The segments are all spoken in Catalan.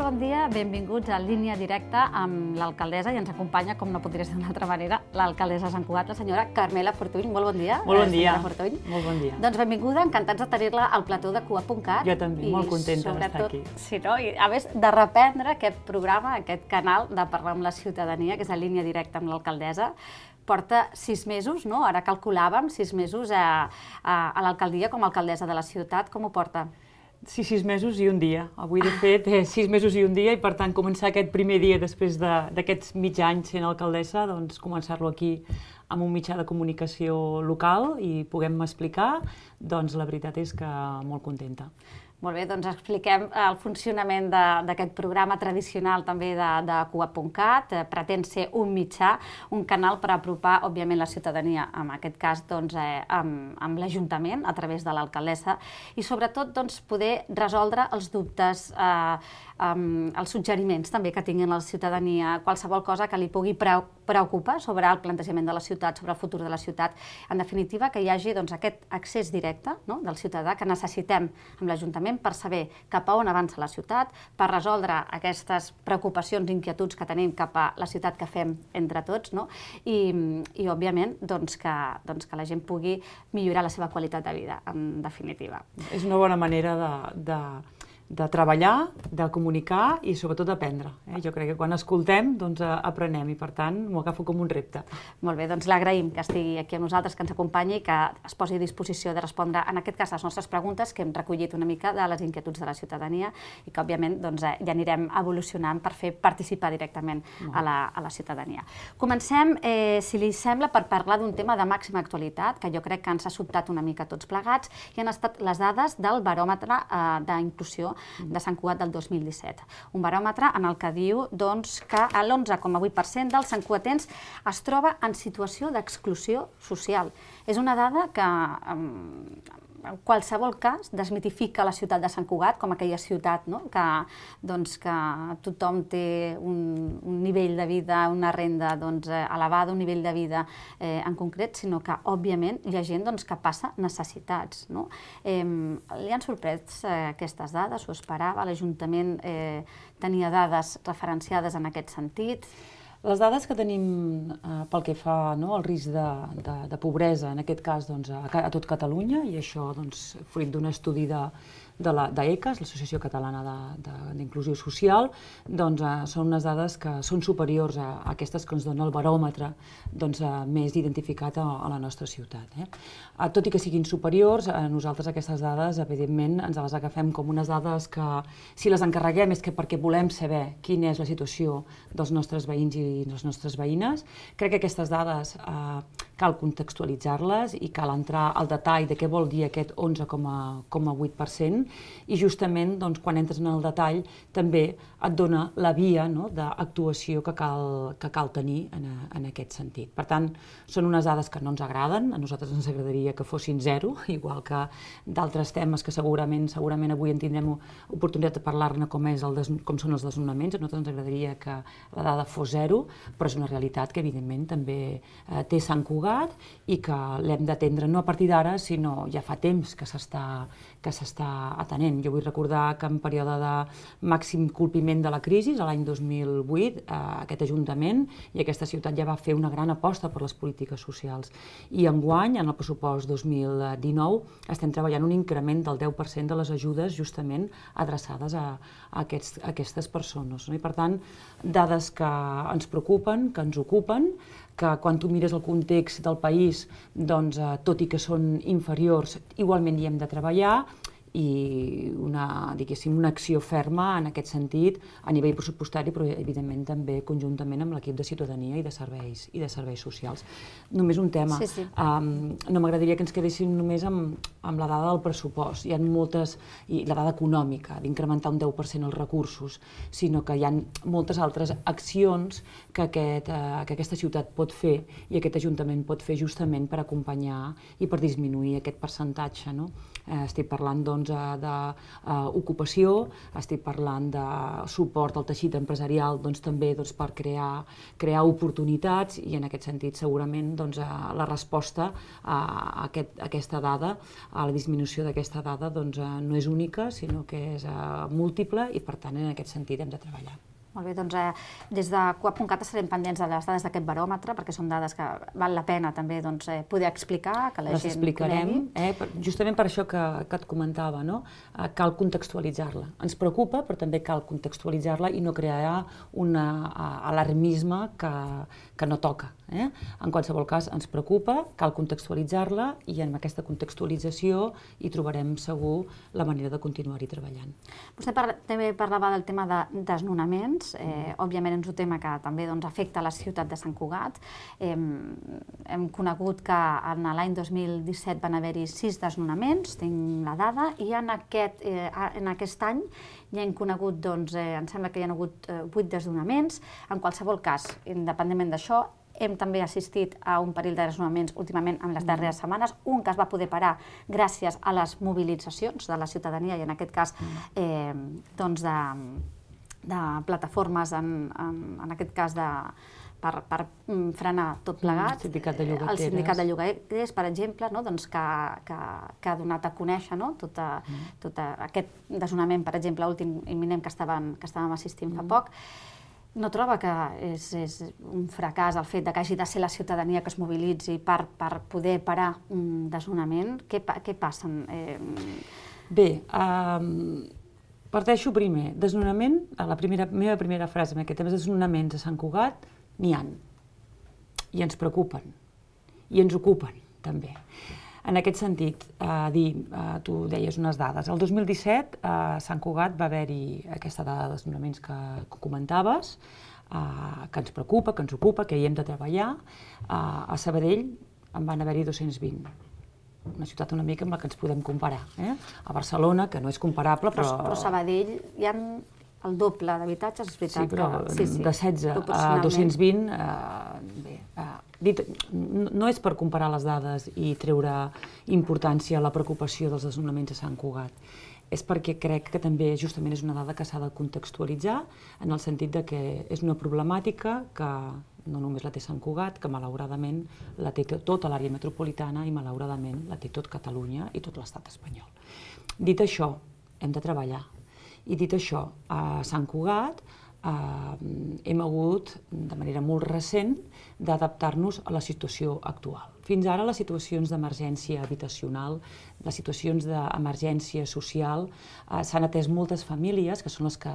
bon dia, benvinguts a Línia Directa amb l'alcaldessa i ens acompanya, com no podria ser d'una altra manera, l'alcaldessa de Sant Cugat, la senyora Carmela Fortuny. Molt bon dia. Molt bon dia. Molt bon dia. Doncs benvinguda, encantats de tenir-la al plató de Cugat.cat. Jo també, molt contenta d'estar aquí. Sí, no? I a més de reprendre aquest programa, aquest canal de parlar amb la ciutadania, que és la Línia Directa amb l'alcaldessa. Porta 6 mesos, no? Ara calculàvem 6 mesos a l'alcaldia com a alcaldessa de la ciutat. Com ho porta? Sí, 6 mesos i un dia. Avui, de fet, 6 mesos i un dia i, per tant, començar aquest primer dia després d'aquests mig anys sent alcaldessa, doncs començar-lo aquí amb un mitjà de comunicació local i puguem explicar, doncs la veritat és que molt contenta. Molt bé, doncs expliquem el funcionament d'aquest programa tradicional també de Cugat.cat. Pretén ser un mitjà, un canal per apropar, òbviament, la ciutadania, en aquest cas, doncs, amb l'Ajuntament, a través de l'alcaldessa, i sobretot doncs, poder resoldre els dubtes, els suggeriments també que tinguin la ciutadania, qualsevol cosa que li pugui preocupar sobre el plantejament de la ciutat, sobre el futur de la ciutat. En definitiva, que hi hagi doncs, aquest accés directe, no?, del ciutadà que necessitem amb l'Ajuntament per saber cap a on avança la ciutat, per resoldre aquestes preocupacions i inquietuds que tenim cap a la ciutat que fem entre tots, no? I òbviament, doncs, que la gent pugui millorar la seva qualitat de vida, en definitiva. És una bona manera de treballar, de comunicar i sobretot d'aprendre. Jo crec que quan escoltem doncs aprenem i per tant m'ho agafo com un repte. Molt bé, doncs l'agraïm que estigui aquí amb nosaltres, que ens acompanyi i que es posi a disposició de respondre en aquest cas les nostres preguntes que hem recollit una mica de les inquietuds de la ciutadania i que òbviament doncs, ja anirem evolucionant per fer participar directament a la ciutadania. Comencem, si li sembla, per parlar d'un tema de màxima actualitat que jo crec que ens ha sobtat una mica tots plegats i han estat les dades del baròmetre d'inclusió de Sant Cugat del 2017. Un baròmetre en el que diu doncs, que l'11,8% dels santcugatens es troba en situació d'exclusió social. És una dada que, en qualsevol cas, desmitifica la ciutat de Sant Cugat com aquella ciutat, no?, que tothom té un nivell de vida, una renda elevada, un nivell de vida en concret, sinó que, òbviament, hi ha gent que passa necessitats. Li han sorprès aquestes dades? Ho esperava? L'Ajuntament tenia dades referenciades en aquest sentit? Les dades que tenim pel que fa al risc de pobresa, en aquest cas a tot Catalunya, i això fruit d'un estudi d'ECAS, l'Associació Catalana d'Inclusió Social, són unes dades que són superiors a aquestes que ens dona el baròmetre més identificat a la nostra ciutat. Tot i que siguin superiors, nosaltres aquestes dades, evidentment, ens les agafem com unes dades que, si les encarreguem, és perquè volem saber quina és la situació dels nostres veïns i les nostres veïnes. Crec que aquestes dades cal contextualitzar-les i cal entrar al detall de què vol dir aquest 11,8%, i justament quan entres en el detall també et dona la via d'actuació que cal tenir en aquest sentit. Per tant, són unes dades que no ens agraden, a nosaltres ens agradaria que fossin 0, igual que d'altres temes que segurament avui en tindrem oportunitat de parlar-ne, com són els desnonaments. A nosaltres ens agradaria que la dada fos 0, però és una realitat que evidentment també té Sant Cugat i que l'hem d'atendre no a partir d'ara, sinó ja fa temps que s'està atenent. Jo vull recordar que en període de màxim colpiment de la crisi, l'any 2008, aquest Ajuntament i aquesta ciutat ja va fer una gran aposta per les polítiques socials. I enguany, en el pressupost 2019, estem treballant un increment del 10% de les ajudes justament adreçades a aquestes persones. I per tant, dades que ens preocupen, que ens ocupen, que quan tu mires el context del país, tot i que són inferiors, igualment hi hem de treballar, i una acció ferma en aquest sentit a nivell pressupostari, però evidentment també conjuntament amb l'equip de ciutadania i de serveis socials. Només un tema. No m'agradaria que ens quedéssim només amb la dada del pressupost. Hi ha moltes, i la dada econòmica, d'incrementar un 10% els recursos, sinó que hi ha moltes altres accions que aquesta ciutat pot fer i aquest Ajuntament pot fer justament per acompanyar i per disminuir aquest percentatge. Estic parlant d'ocupació, estic parlant de suport al teixit empresarial també per crear oportunitats, i en aquest sentit segurament la resposta a aquesta dada, a la disminució d'aquesta dada, no és única, sinó que és múltiple, i per tant en aquest sentit hem de treballar. Molt bé, doncs des de Coap.cat estarem pendents de les dades d'aquest baròmetre, perquè són dades que val la pena també poder explicar, que la gent conegui. Les explicarem, justament per això que et comentava, cal contextualitzar-la. Ens preocupa, però també cal contextualitzar-la i no crear un alarmisme que no toca. En qualsevol cas, ens preocupa, cal contextualitzar-la, i en aquesta contextualització hi trobarem segur la manera de continuar-hi treballant. Vostè també parlava del tema de desnonaments. Òbviament és un tema que també afecta la ciutat de Sant Cugat. Hem conegut que en l'any 2017 van haver-hi 6 desnonaments, tinc la dada, i en aquest any ja hem conegut, em sembla que hi ha hagut 8 desnonaments. En qualsevol cas, independentment d'això, hem també assistit a un parell de desnonaments últimament en les darreres setmanes, un que es va poder parar gràcies a les mobilitzacions de la ciutadania, i en aquest cas de plataformes, en aquest cas per frenar tot plegat. El sindicat de llogaters, per exemple, que ha donat a conèixer tot aquest desnonament, per exemple, l'últim imminent que estàvem assistint fa poc. No troba que és un fracàs el fet que hagi de ser la ciutadania que es mobilitzi per poder parar un desnonament? Què passa? Bé, parteixo primer. Desnonament, la meva primera frase en aquest tema, desnonaments a Sant Cugat n'hi ha. I ens preocupen. I ens ocupen, també. En aquest sentit, tu deies unes dades. El 2017 a Sant Cugat va haver-hi aquesta dada de desnonaments que comentaves, que ens preocupa, que ens ocupa, que hi hem de treballar. A Sabadell en van haver-hi 220. Una ciutat una mica amb la que ens podem comparar. A Barcelona, que no és comparable, però... Però a Sabadell hi ha el doble d'habitatges, és veritat. Sí, però de 16 a 220, no és per comparar les dades i treure importància a la preocupació dels desnonaments a Sant Cugat. És perquè crec que també justament és una dada que s'ha de contextualitzar, en el sentit que és una problemàtica que no només la té Sant Cugat, que malauradament la té tota l'àrea metropolitana i malauradament la té tot Catalunya i tot l'estat espanyol. Dit això, hem de treballar. I dit això, a Sant Cugat hem hagut, de manera molt recent, d'adaptar-nos a la situació actual. Fins ara, les situacions d'emergència habitacional, les situacions d'emergència social, s'han atès moltes famílies, que són les que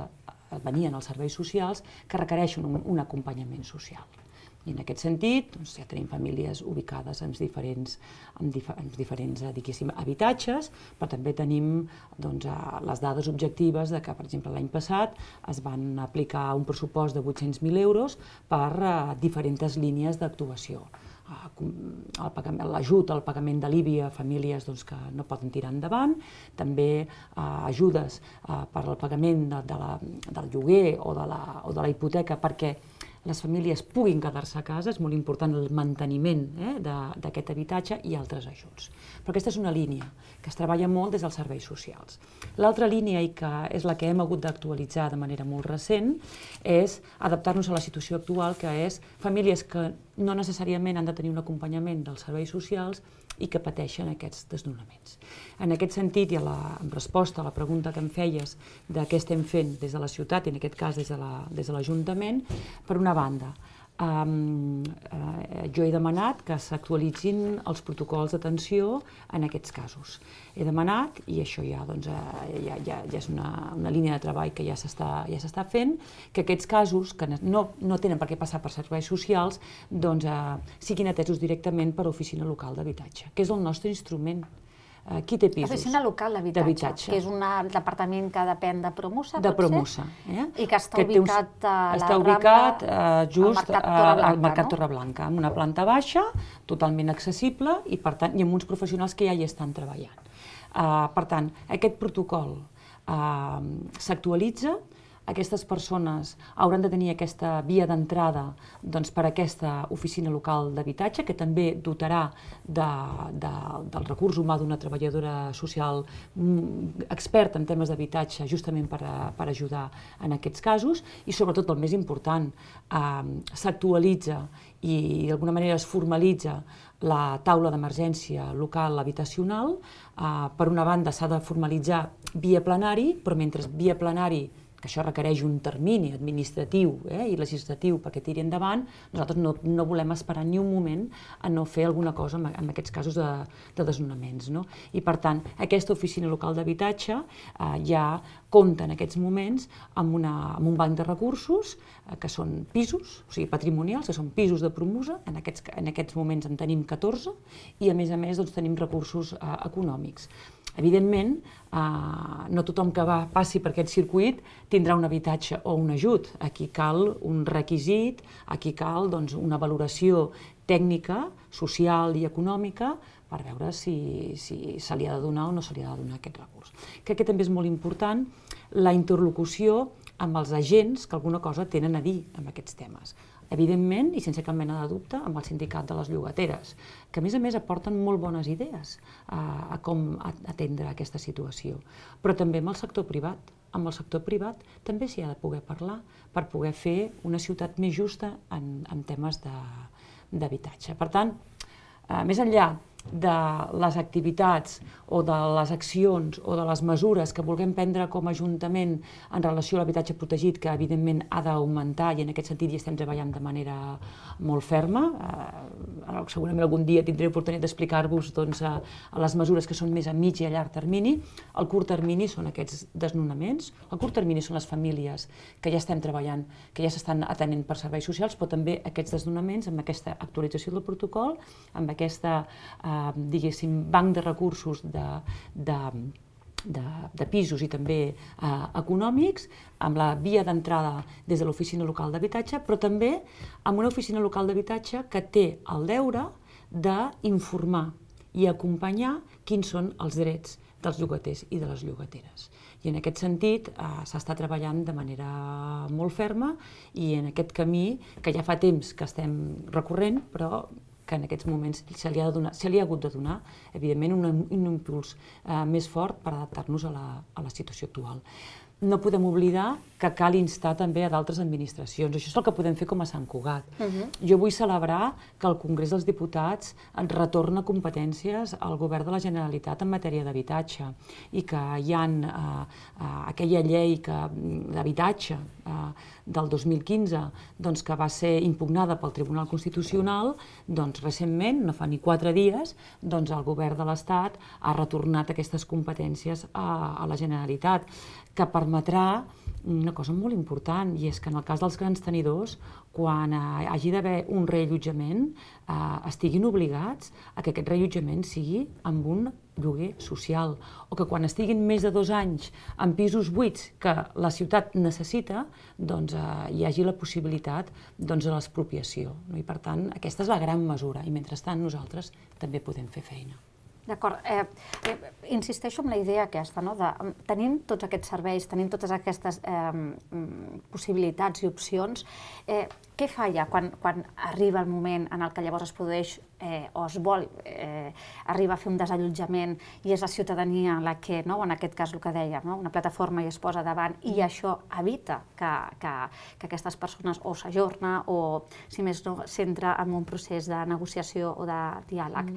venien als serveis socials, que requereixen un acompanyament social. I en aquest sentit, ja tenim famílies ubicades en diferents habitatges, però també tenim les dades objectives que, per exemple, l'any passat es van aplicar un pressupost de 800.000 euros per diferents línies d'actuació. L'ajut al pagament de l'IBI a famílies que no poden tirar endavant, també ajudes per al pagament del lloguer o de la hipoteca perquè les famílies puguin quedar-se a casa, és molt important el manteniment d'aquest habitatge, i altres ajuts. Però aquesta és una línia que es treballa molt des dels serveis socials. L'altra línia, i que és la que hem hagut d'actualitzar de manera molt recent, és adaptar-nos a la situació actual, que és famílies que no necessàriament han de tenir un acompanyament dels serveis socials i que pateixen aquests desnonaments. En aquest sentit, i en resposta a la pregunta que em feies de què estem fent des de la ciutat, i en aquest cas des de l'Ajuntament, per una banda, jo he demanat que s'actualitzin els protocols d'atenció en aquests casos. He demanat, i això ja és una línia de treball que ja s'està fent, que aquests casos, que no tenen per què passar per serveis socials, siguin atesos directament per Oficina Local d'Habitatge, que és el nostre instrument. Qui té pisos? L'Oficina Local d'Habitatge, que és un departament que depèn de Promusa, de Promusa, i que està ubicat a la Rambla, just al Mercat Torreblanca, amb una planta baixa, totalment accessible, i amb uns professionals que ja hi estan treballant. Per tant, aquest protocol s'actualitza, aquestes persones hauran de tenir aquesta via d'entrada per a aquesta oficina local d'habitatge, que també dotarà del recurs humà d'una treballadora social experta en temes d'habitatge, justament per ajudar en aquests casos, i sobretot el més important, s'actualitza i d'alguna manera es formalitza la taula d'emergència local habitacional. Per una banda s'ha de formalitzar via plenari, però mentre via plenari, que això requereix un termini administratiu i legislatiu perquè tiri endavant, nosaltres no volem esperar ni un moment a no fer alguna cosa en aquests casos de desnonaments. I per tant, aquesta oficina local d'habitatge ja compta en aquests moments amb un banc de recursos que són pisos, o sigui patrimonials, que són pisos de Promusa, en aquests moments en tenim 14, i a més tenim recursos econòmics. Evidentment, no tothom que passi per aquest circuit tindrà un habitatge o un ajut. Aquí cal un requisit, aquí cal una valoració tècnica, social i econòmica per veure si se li ha de donar o no se li ha de donar aquest recurs. Crec que també és molt important la interlocució amb els agents que alguna cosa tenen a dir en aquests temes. Evidentment, i sense cap mena de dubte, amb el sindicat de les llogateres, que a més aporten molt bones idees a com atendre aquesta situació. Però també amb el sector privat. Amb el sector privat també s'hi ha de poder parlar per poder fer una ciutat més justa en temes d'habitatge. Per tant, més enllà de les activitats o de les accions o de les mesures que vulguem prendre com a Ajuntament en relació a l'habitatge protegit, que evidentment ha d'augmentar i en aquest sentit hi estem treballant de manera molt ferma. Segurament algun dia tindré l'oportunitat d'explicar-vos les mesures que són més a mig i a llarg termini. El curt termini són aquests desnonaments, el curt termini són les famílies que ja estem treballant, que ja s'estan atenent per serveis socials, però també aquests desnonaments amb aquesta actualització del protocol, amb aquesta diguéssim, banc de recursos de pisos i també econòmics, amb la via d'entrada des de l'oficina local d'habitatge, però també amb una oficina local d'habitatge que té el deure d'informar i acompanyar quins són els drets dels llogaters i de les llogateres. I en aquest sentit s'està treballant de manera molt ferma i en aquest camí que ja fa temps que estem recorrent, però que en aquests moments se li ha hagut de donar, evidentment, un impuls més fort per adaptar-nos a la situació actual. No podem oblidar que cal instar també a d'altres administracions. Això és el que podem fer com a Sant Cugat. Jo vull celebrar que el Congrés dels Diputats retorna competències al Govern de la Generalitat en matèria d'habitatge i que hi ha aquella llei d'habitatge del 2015 que va ser impugnada pel Tribunal Constitucional, recentment, no fa ni 4 dies, el Govern de l'Estat ha retornat aquestes competències a la Generalitat, que permetrà una cosa molt important, i és que en el cas dels grans tenidors, quan hagi d'haver un reallotjament, estiguin obligats a que aquest reallotjament sigui amb un lloguer social, o que quan estiguin més de 2 anys en pisos buits que la ciutat necessita, hi hagi la possibilitat de l'expropiació. I per tant, aquesta és la gran mesura, i mentrestant nosaltres també podem fer feina. D'acord. Insisteixo en la idea aquesta, tenint tots aquests serveis, tenint totes aquestes possibilitats i opcions, què falla quan arriba el moment en el que llavors es produeix o es vol arribar a fer un desallotjament i és la ciutadania la que, en aquest cas el que deia, una plataforma i es posa davant i això evita que aquestes persones o s'ajorna o, si més no, s'entra en un procés de negociació o de diàleg.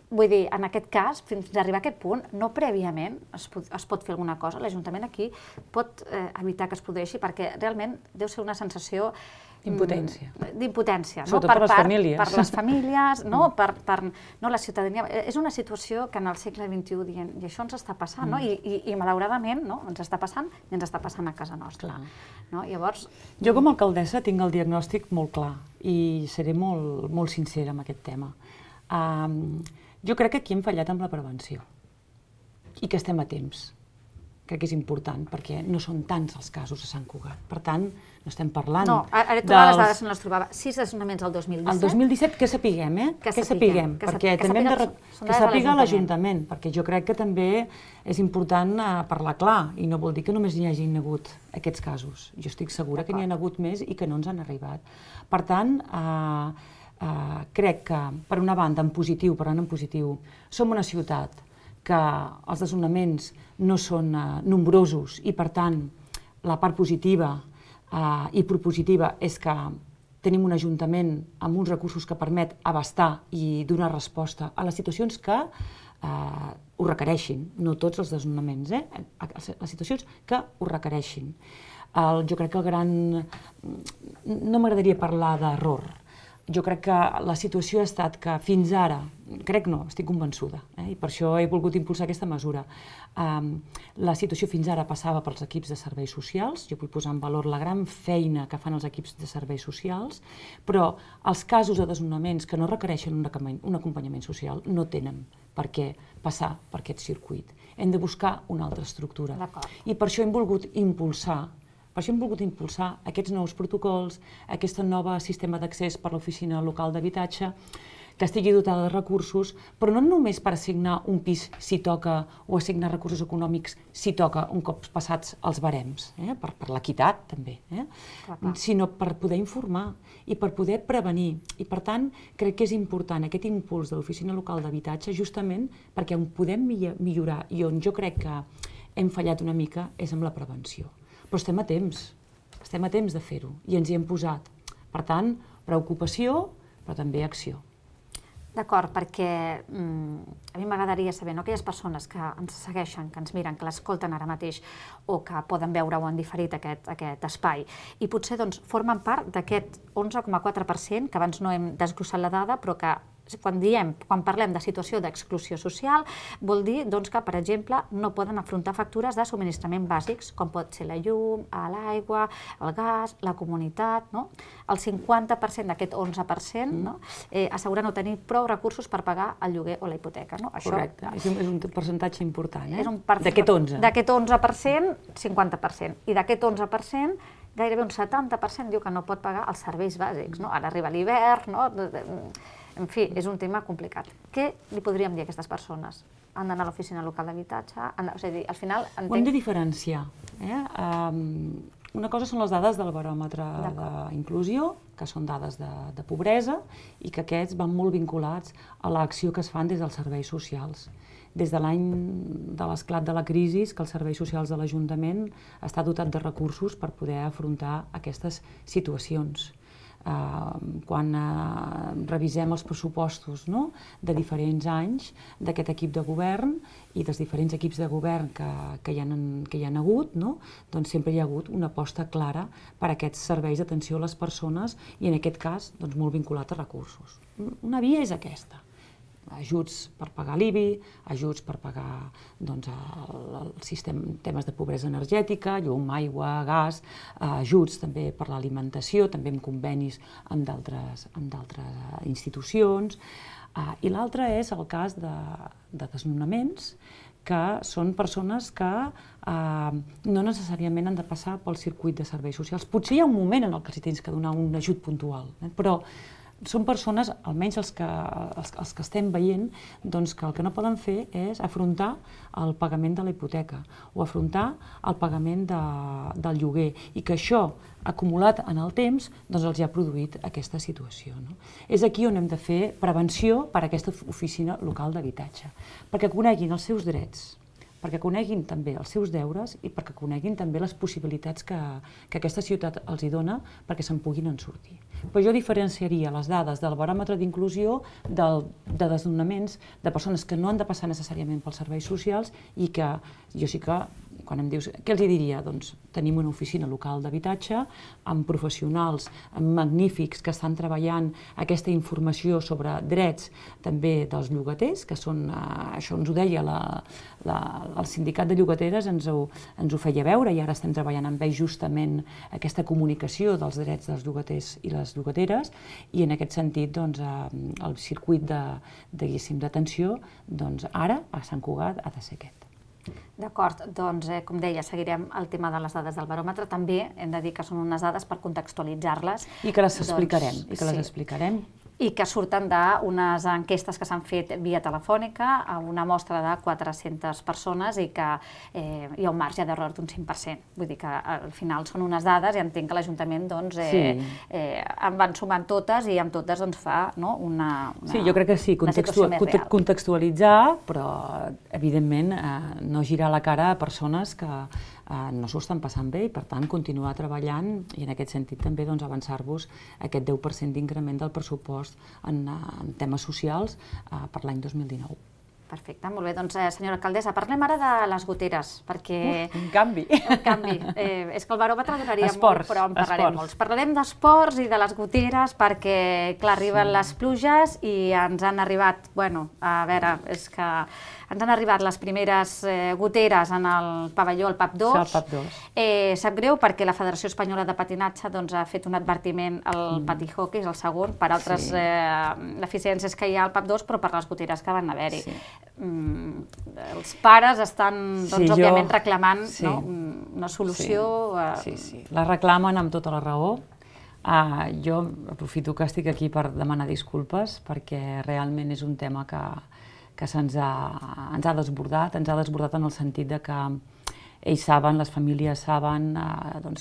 Vull dir, en aquest cas, fins a arribar a aquest punt, no prèviament es pot fer alguna cosa. L'Ajuntament aquí pot evitar que es produeixi perquè realment deu ser una sensació d'impotència. Sobretot per les famílies. Per les famílies, per la ciutadania. És una situació que en el segle XXI dient, i això ens està passant, i malauradament ens està passant i ens està passant a casa nostra. Jo com a alcaldessa tinc el diagnòstic molt clar i seré molt sincera amb aquest tema. Jo crec que aquí hem fallat amb la prevenció i que estem a temps. crec que és important, perquè no són tants els casos a Sant Cugat. Per tant, no estem parlant... No, ara totes les dades no les trobava. 6 desnonaments el 2017. El 2017, que sapiguem, Que sapiguem, perquè també hem de... Que sàpiga l'Ajuntament, perquè jo crec que també és important parlar clar, i no vol dir que només n'hi hagin hagut aquests casos. Jo estic segura que n'hi ha hagut més i que no ens han arribat. Per tant, crec que, per una banda, en positiu, parlant en positiu, som una ciutat que els desnonaments no són nombrosos i, per tant, la part positiva i propositiva és que tenim un ajuntament amb uns recursos que permet abastar i donar resposta a les situacions que ho requereixin, no tots els desnonaments, les situacions que ho requereixin. Jo crec que el gran... No m'agradaria parlar d'error. Jo crec que la situació ha estat que fins ara, crec no, estic convençuda, i per això he volgut impulsar aquesta mesura, la situació fins ara passava pels equips de serveis socials, jo vull posar en valor la gran feina que fan els equips de serveis socials, però els casos de desnonaments que no requereixen un acompanyament social no tenen per què passar per aquest circuit. Hem de buscar una altra estructura. I per això hem volgut impulsar aquests nous protocols, aquest nou sistema d'accés per l'Oficina Local d'Habitatge, que estigui dotada de recursos, però no només per assignar un pis si toca o assignar recursos econòmics si toca un cop passats els barems, per l'equitat també, sinó per poder informar i per poder prevenir. I per tant, crec que és important aquest impuls de l'Oficina Local d'Habitatge justament perquè on podem millorar i on jo crec que hem fallat una mica és amb la prevenció. Però estem a temps de fer-ho i ens hi hem posat. Per tant, preocupació, però també acció. D'acord, perquè a mi m'agradaria saber, aquelles persones que ens segueixen, que ens miren, que l'escolten ara mateix o que poden veure-ho en diferit aquest espai i potser formen part d'aquest 11,4% que abans no hem desglossat la dada però que quan parlem de situació d'exclusió social, vol dir que, per exemple, no poden afrontar factures de subministrament bàsics, com pot ser la llum, l'aigua, el gas, la comunitat. El 50% d'aquest 11% assegura no tenir prou recursos per pagar el lloguer o la hipoteca. Correcte, és un percentatge important, d'aquest 11%. D'aquest 11%, 50%. I d'aquest 11%, gairebé un 70% diu que no pot pagar els serveis bàsics. Ara arriba l'hivern, en fi, és un tema complicat. Què li podríem dir a aquestes persones? Han d'anar a l'Oficina Local d'Habitatge? És a dir, al final... Ho hem de diferenciar. Una cosa són les dades del baròmetre d'inclusió, que són dades de pobresa, i que aquests van molt vinculats a l'acció que es fan des dels serveis socials. Des de l'any de l'esclat de la crisi, que els serveis socials de l'Ajuntament està dotat de recursos per poder afrontar aquestes situacions. Quan revisem els pressupostos de diferents anys d'aquest equip de govern i dels diferents equips de govern que hi han hagut, doncs sempre hi ha hagut una aposta clara per a aquests serveis d'atenció a les persones i en aquest cas molt vinculat a recursos. Una via és aquesta. Ajuts per pagar l'IBI, ajuts per pagar temes de pobresa energètica, llum, aigua, gas, ajuts també per l'alimentació, també amb convenis amb d'altres institucions. I l'altre és el cas de desnonaments, que són persones que no necessàriament han de passar pel circuit de serveis socials. Potser hi ha un moment en el que els tens que donar un ajut puntual, però són persones, almenys els que estem veient, que el que no poden fer és afrontar el pagament de la hipoteca o afrontar el pagament del lloguer i que això, acumulat en el temps, els ha produït aquesta situació. És aquí on hem de fer prevenció per a aquesta oficina local d'habitatge, perquè coneguin els seus drets, perquè coneguin també els seus deures i perquè coneguin també les possibilitats que aquesta ciutat els hi dona perquè se'n puguin en sortir. Però jo diferenciaria les dades del baròmetre d'inclusió de desnonaments de persones que no han de passar necessàriament pels serveis socials i que jo sí que, quan em dius, què els diria? Doncs tenim una oficina local d'habitatge amb professionals magnífics que estan treballant aquesta informació sobre drets també dels llogaters, que són, això ens ho deia el sindicat de llogateres, ens ho feia veure i ara estem treballant amb ells justament aquesta comunicació dels drets dels llogaters i les llogateres i en aquest sentit el circuit d'atenció ara a Sant Cugat ha de ser aquest. D'acord, doncs com deia, seguirem el tema de les dades del baròmetre. També hem de dir que són unes dades per contextualitzar-les. I que les explicarem, I que surten d'unes enquestes que s'han fet via telefònica a una mostra de 400 persones i que hi ha un marge d'error d'un 5%. Vull dir que al final són unes dades i entenc que l'Ajuntament en van sumant totes i amb totes fa una Sí, jo crec que sí, contextualitzar, però evidentment no girar la cara a persones que no s'ho estan passant bé i, per tant, continuar treballant i, en aquest sentit, també avançar-vos aquest 10% d'increment del pressupost en temes socials per l'any 2019. Perfecte, molt bé. Doncs, senyora alcaldessa, parlem ara de les goteres, perquè... Un canvi. Un canvi. És que el baròmetre donaria molt, però en parlarem molts. Parlarem d'esports i de les goteres, perquè, clar, arriben les pluges i ens han arribat, a veure, és que ens han arribat les primeres goteres en el pavelló, el PAP 2. El PAP 2. Sap greu perquè la Federació Espanyola de Patinatge ha fet un advertiment al pati hockey, és el segon, per altres deficiències que hi ha al PAP 2, però per les goteres que van haver-hi. Els pares estan, òbviament, reclamant una solució. Sí, la reclamen amb tota la raó. Jo aprofito que estic aquí per demanar disculpes, perquè realment és un tema que ens ha desbordat en el sentit que ells saben, les famílies saben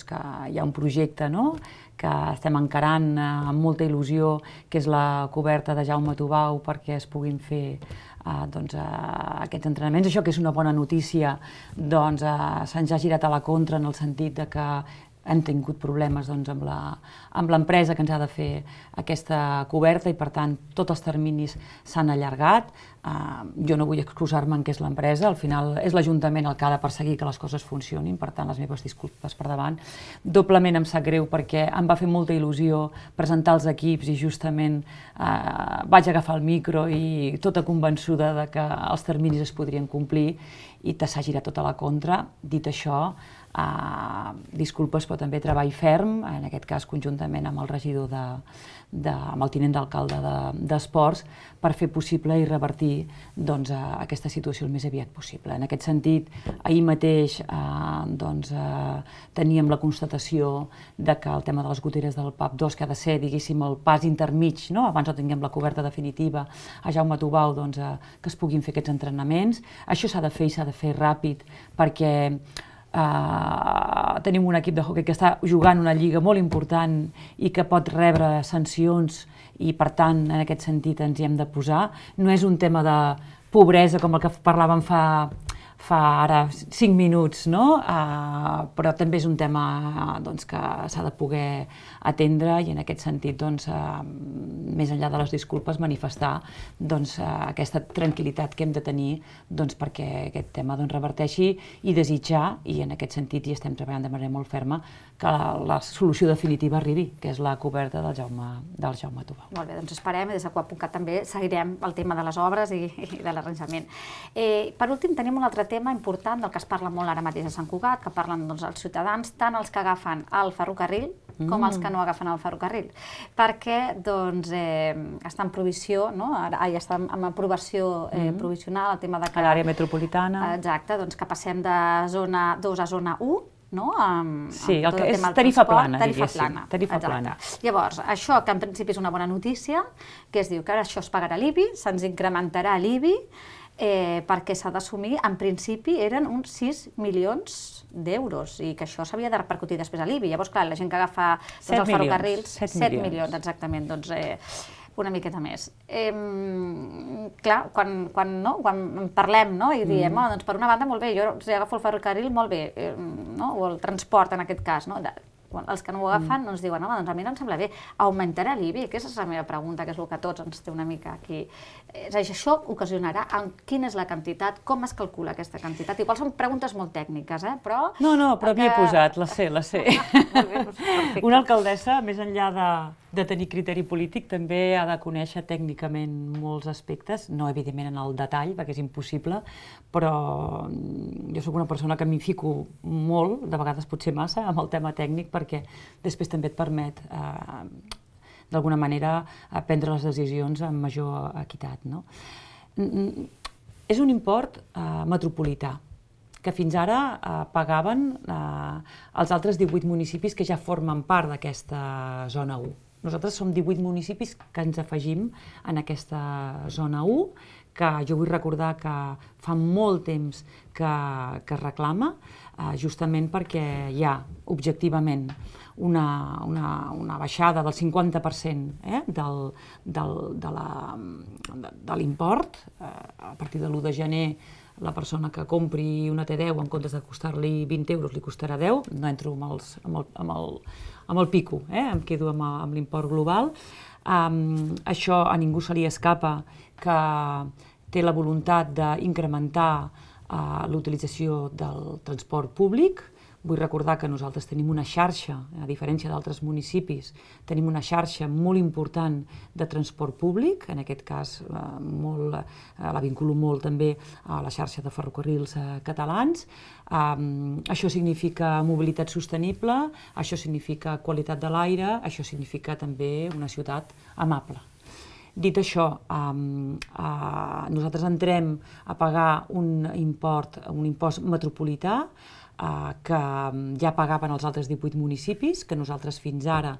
que hi ha un projecte que estem encarant amb molta il·lusió, que és la coberta de Jaume Tubau perquè es puguin fer aquests entrenaments. Això, que és una bona notícia, se'ns ha girat a la contra en el sentit que hem tingut problemes amb l'empresa que ens ha de fer aquesta coberta i, per tant, tots els terminis s'han allargat. Jo no vull excusar-me en què és l'empresa, al final és l'Ajuntament el que ha de perseguir que les coses funcionin, per tant, les meves disculpes per davant. Doblement em sap greu perquè em va fer molta il·lusió presentar els equips i justament vaig agafar el micro i tota convençuda que els terminis es podrien complir i s'ha girat tota la contra. Dit això, disculpes, però també treball ferm, en aquest cas conjuntament amb el regidor, amb el tinent d'alcalde d'Esports, per fer possible i revertir aquesta situació el més aviat possible. En aquest sentit, ahir mateix teníem la constatació que el tema de les goteres del PAP 2, que ha de ser, diguéssim, el pas intermig, abans no tinguem la coberta definitiva a Jaume Tubau, que es puguin fer aquests entrenaments. Això s'ha de fer i s'ha de fer ràpid, perquè tenim un equip de hoquei que està jugant una lliga molt important i que pot rebre sancions i, per tant, en aquest sentit ens hi hem de posar. No és un tema de pobresa com el que parlàvem fa ara 5 minuts, però també és un tema que s'ha de poder atendre i, en aquest sentit, més enllà de les disculpes, manifestar aquesta tranquil·litat que hem de tenir perquè aquest tema reverteixi i desitjar, i en aquest sentit hi estem treballant de manera molt ferma, que la solució definitiva arribi, que és la coberta del Jaume Tubau. Molt bé, doncs esperem, i des de Coap.cat també seguirem el tema de les obres i de l'arranjament. Per últim, tenim un altre tema important del que es parla molt ara mateix a Sant Cugat, que parlen els ciutadans, tant els que agafen el ferrocarril com els que no agafen el ferrocarril, perquè està en provisió, ja està en aprovació provisional el tema de que... A l'àrea metropolitana. Exacte, que passem de zona 2 a zona 1, sí, el que és tarifa plana, diguéssim. Tarifa plana. Llavors, això, que en principi és una bona notícia, que es diu que ara això es pagarà l'IBI, se'ns incrementarà l'IBI, perquè s'ha d'assumir, en principi eren uns 6 milions d'euros i que això s'havia de repercutir després a l'IBI. Llavors, clar, la gent que agafa els ferrocarrils... 7 milions, exactament, doncs una miqueta més. Clar, quan parlem i diem, doncs per una banda, molt bé, jo si agafo el ferrocarril, molt bé, o el transport en aquest cas, els que no ho agafen ens diuen, doncs a mi no em sembla bé, augmentarà l'IBI? Aquesta és la meva pregunta, que és el que a tots ens té una mica aquí. Això ocasionarà quina és la quantitat, com es calcula aquesta quantitat? Igual són preguntes molt tècniques, però... No, però havia posat, la sé. Una alcaldessa, més enllà de tenir criteri polític, també ha de conèixer tècnicament molts aspectes, no evidentment en el detall, perquè és impossible, però jo sóc una persona que m'hi fico molt, de vegades potser massa, amb el tema tècnic, perquè després també et permet, d'alguna manera, prendre les decisions amb major equitat. És un import metropolità, que fins ara pagaven els altres 18 municipis que ja formen part d'aquesta zona 1. Nosaltres som 18 municipis que ens afegim en aquesta zona 1, que jo vull recordar que fa molt temps que es reclama, justament perquè hi ha, objectivament, una baixada del 50% de l'import. A partir de l'1 de gener, la persona que compri una T10 en comptes de costar-li 20 euros li costarà 10, no entro amb el pico, em quedo amb l'import global. Això a ningú se li escapa que té la voluntat d'incrementar l'utilització del transport públic. Vull recordar que nosaltres tenim una xarxa, a diferència d'altres municipis, tenim una xarxa molt important de transport públic, en aquest cas la vinculo molt també a la xarxa de ferrocarrils catalans. Això significa mobilitat sostenible, això significa qualitat de l'aire, això significa també una ciutat amable. Dit això, nosaltres entrem a pagar un impost metropolità que ja pagaven els altres 18 municipis, que nosaltres fins ara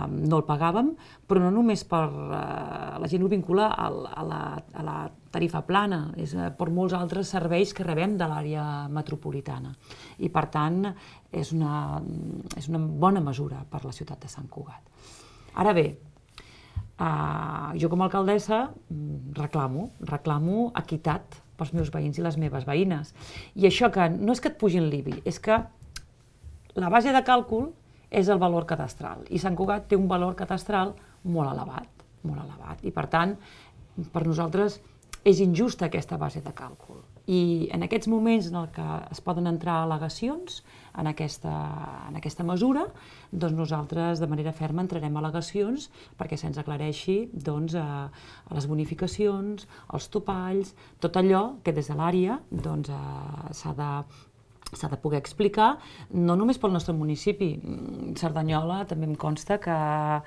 no el pagàvem, però no només per... La gent ho vincula a la tarifa plana, és per molts altres serveis que rebem de l'àrea metropolitana. I, per tant, és una bona mesura per la ciutat de Sant Cugat. Ara bé, jo com a alcaldessa reclamo equitat pels meus veïns i les meves veïnes. I això que no és que et pugin l'IBI, és que la base de càlcul és el valor cadastral. I Sant Cugat té un valor cadastral molt elevat. I per tant, per nosaltres és injusta aquesta base de càlcul. I en aquests moments en què es poden entrar al·legacions en aquesta mesura, doncs nosaltres de manera ferma entrarem al·legacions perquè se'ns aclareixi les bonificacions, els topalls, tot allò que des de l'àrea s'ha de poder explicar, no només pel nostre municipi. Cerdanyola també em consta que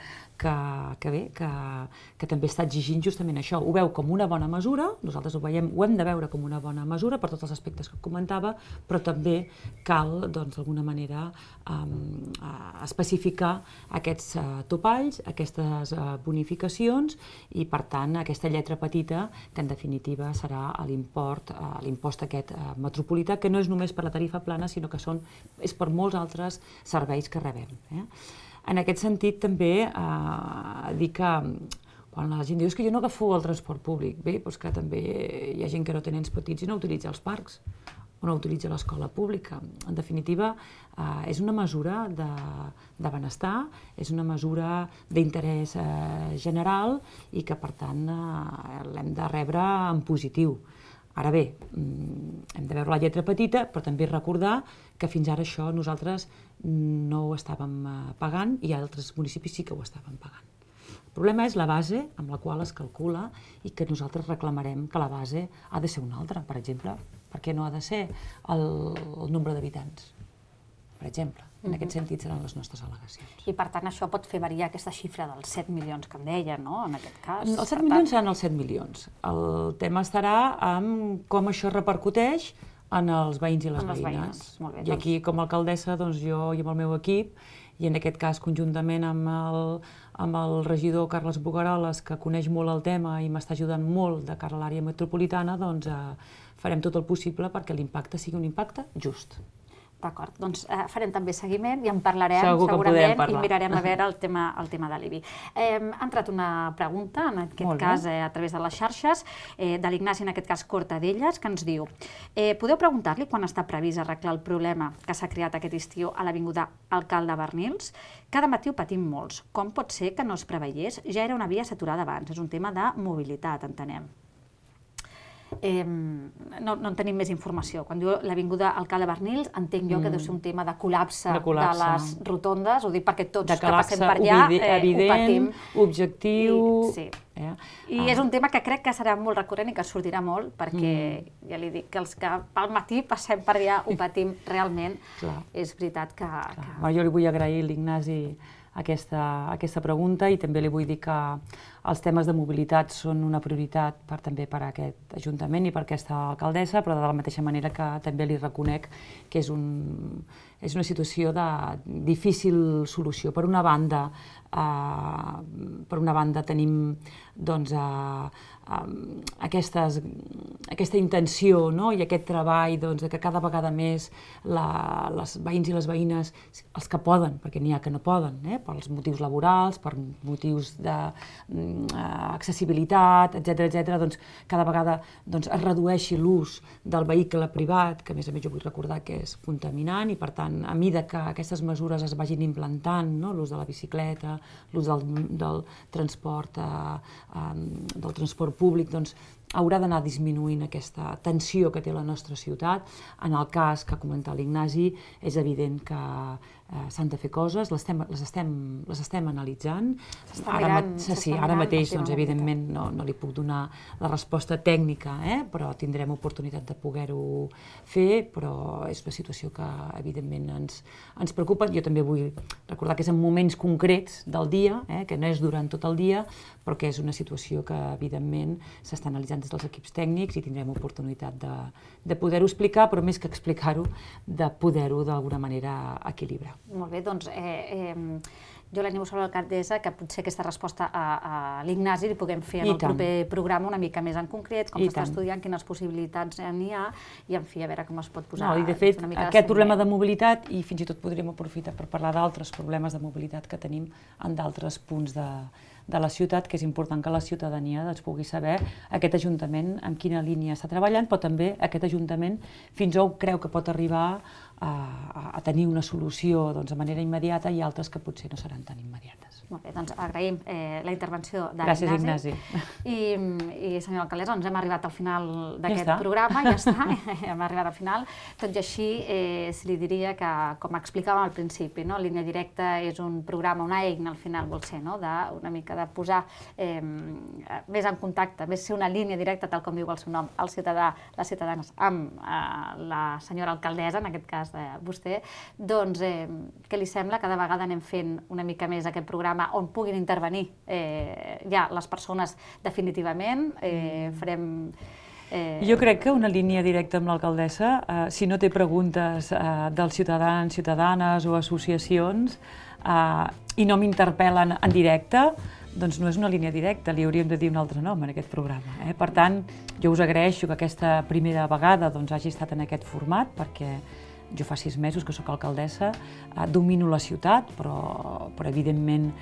també està exigint justament això. Ho veu com una bona mesura, nosaltres ho hem de veure com una bona mesura per tots els aspectes que comentava, però també cal, d'alguna manera, especificar aquests topalls, aquestes bonificacions i, per tant, aquesta lletra petita, que en definitiva serà l'impost aquest metropolità, que no és només per la tarifa plana, sinó que és per molts altres serveis que rebem. En aquest sentit, també dir que quan la gent diu que jo no agafo el transport públic, bé, doncs que també hi ha gent que no té nens petits i no utilitza els parcs o no utilitza l'escola pública. En definitiva, és una mesura de benestar, és una mesura d'interès general i que, per tant, l'hem de rebre en positiu. Ara bé, hem de veure la lletra petita, però també recordar que fins ara això nosaltres no ho estàvem pagant i altres municipis sí que ho estaven pagant. El problema és la base amb la qual es calcula i que nosaltres reclamarem que la base ha de ser una altra. Per exemple, per què no ha de ser el nombre d'habitants? Per exemple, en aquest sentit seran les nostres al·legacions. I per tant això pot fer variar aquesta xifra dels 7 milions que em deia, no?, en aquest cas. Els 7 milions seran els 7 milions. El tema estarà en com això repercuteix en els veïns i les veïnes. I aquí, com a alcaldessa, jo i amb el meu equip, i en aquest cas conjuntament amb el regidor Carles Bogaroles, que coneix molt el tema i m'està ajudant molt de cara a l'àrea metropolitana, doncs farem tot el possible perquè l'impacte sigui un impacte just. D'acord, doncs farem també seguiment i en parlarem segurament i mirarem a veure el tema de l'IBI. Ha entrat una pregunta, en aquest cas a través de les xarxes, de l'Ignasi, en aquest cas Cortadelles, que ens diu: podeu preguntar-li quan està previst arreglar el problema que s'ha creat aquest estiu a l'avinguda Alcalde Bernils? Cada matí ho patim molts. Com pot ser que no es preveiés? Ja era una via saturada abans, és un tema de mobilitat, entenem. No en tenim més informació. Quan diu l'avinguda Alcalde Bernils, entenc jo que deu ser un tema de col·lapse de les rotondes, ho dic perquè tots que passem per allà ho patim. Evident, objectiu... I és un tema que crec que serà molt recurrent i que sortirà molt, perquè ja li dic que els que pel matí passem per allà ho patim realment. És veritat que... Jo li vull agrair l'Ignasi aquesta pregunta, i també li vull dir que els temes de mobilitat són una prioritat també per a aquest Ajuntament i per aquesta alcaldessa, però de la mateixa manera que també li reconec que és una situació de difícil solució. Per una banda tenim doncs, aquesta intenció, no? I aquest treball que cada vegada més els veïns i les veïnes, els que poden, perquè n'hi ha que no poden, pels motius laborals, per motius d'accessibilitat, etc., doncs cada vegada es redueixi l'ús del vehicle privat, que a més jo vull recordar que és contaminant, i per tant, a mesura que aquestes mesures es vagin implantant, l'ús de la bicicleta, l'ús del transport públic, doncs haurà d'anar disminuint aquesta tensió que té la nostra ciutat. En el cas que ha comentat l'Ignasi, és evident que s'han de fer coses, les estem analitzant. Ara mateix, evidentment, no li puc donar la resposta tècnica, però tindrem oportunitat de poder-ho fer, però és una situació que, evidentment, ens preocupa. Jo també vull recordar que és en moments concrets del dia, que no és durant tot el dia, però que és una situació que, evidentment, s'està analitzant des dels equips tècnics i tindrem oportunitat de poder-ho explicar, però més que explicar-ho, de poder-ho d'alguna manera equilibrar. Molt bé, doncs jo l'animo sobre l'alcaldessa que potser aquesta resposta a l'Ignasi li puguem fer en el proper programa una mica més en concret, com s'està estudiant, quines possibilitats n'hi ha, i en fi, a veure com es pot posar una mica de fet, aquest problema de mobilitat, i fins i tot podríem aprofitar per parlar d'altres problemes de mobilitat que tenim en d'altres punts de la ciutat, que és important que la ciutadania pugui saber aquest Ajuntament en quina línia està treballant, però també aquest Ajuntament fins on creu que pot arribar a tenir una solució de manera immediata, i altres que potser no seran tan immediates. Molt bé, doncs agraïm la intervenció de l'Ignasi. Gràcies, Ignasi. I, senyora alcaldessa, doncs hem arribat al final d'aquest programa, ja està, hem arribat al final. Tot i així, se li diria que, com explicàvem al principi, Línia Directa és un programa, una eina al final vol ser, una mica de posar més en contacte, més ser una línia directa, tal com diu el seu nom, el ciutadà, les ciutadanes, amb la senyora alcaldessa, en aquest cas vostè, doncs què li sembla? Cada vegada anem fent una mica més aquest programa on puguin intervenir ja les persones definitivament, farem... Jo crec que una línia directa amb l'alcaldessa, si no té preguntes dels ciutadans, ciutadanes o associacions i no m'interpel·len en directe, doncs no és una línia directa, li hauríem de dir un altre nom en aquest programa. Per tant, jo us agraeixo que aquesta primera vegada hagi estat en aquest format, perquè jo fa 6 mesos que sóc alcaldessa, domino la ciutat, però evidentment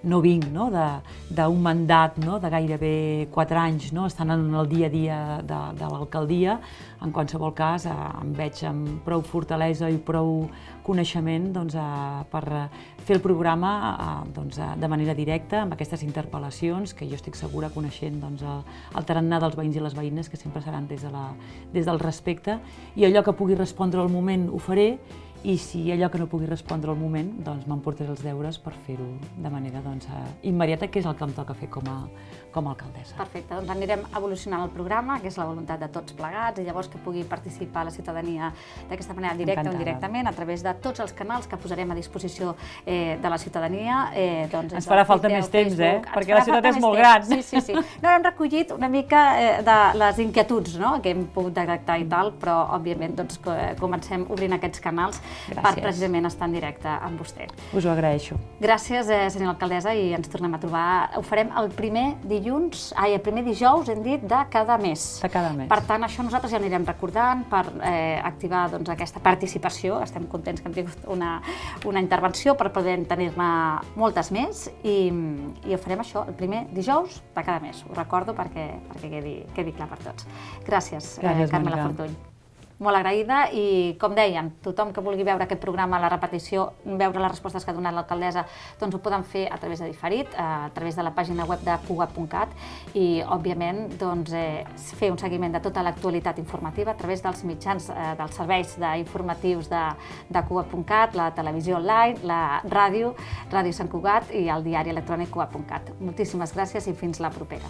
no vinc d'un mandat de gairebé 4 anys estant en el dia a dia de l'alcaldia. En qualsevol cas, em veig amb prou fortalesa i prou coneixement per fer el programa de manera directa, amb aquestes interpel·lacions que jo estic segura, coneixent el tarannà dels veïns i les veïnes, que sempre seran des del respecte, i allò que pugui respondre al moment ho faré, i si allò que no pugui respondre al moment, doncs m'emportaré els deures per fer-ho de manera immediata, que és el que em toca fer com a alcaldessa. Perfecte, doncs anirem evolucionant el programa, que és la voluntat de tots plegats, i llavors que pugui participar la ciutadania d'aquesta manera directa o indirectament, a través de tots els canals que posarem a disposició de la ciutadania. Ens farà falta més temps, perquè la ciutat és molt gran. Sí. No, hem recollit una mica de les inquietuds que hem pogut detectar i tal, però òbviament comencem obrint aquests canals per precisament estar en directe amb vostè. Us ho agraeixo. Gràcies, senyora alcaldessa, i ens tornem a trobar. Ho farem el primer dijous, hem dit, de cada mes. De cada mes. Per tant, això nosaltres ja anirem recordant per activar aquesta participació. Estem contents que hem tingut una intervenció per poder tenir-ne moltes més, i ho farem això el primer dijous de cada mes. Ho recordo perquè quedi clar per tots. Gràcies, Carmela Fortuny. Molt agraïda, i com dèiem, tothom que vulgui veure aquest programa a la repetició, veure les respostes que ha donat l'alcaldessa, doncs ho poden fer a través de diferit, a través de la pàgina web de cugat.cat, i, òbviament, fer un seguiment de tota l'actualitat informativa a través dels mitjans, dels serveis informatius de cugat.cat, la televisió online, la ràdio Sant Cugat, i el diari electrònic cugat.cat. Moltíssimes gràcies i fins la propera.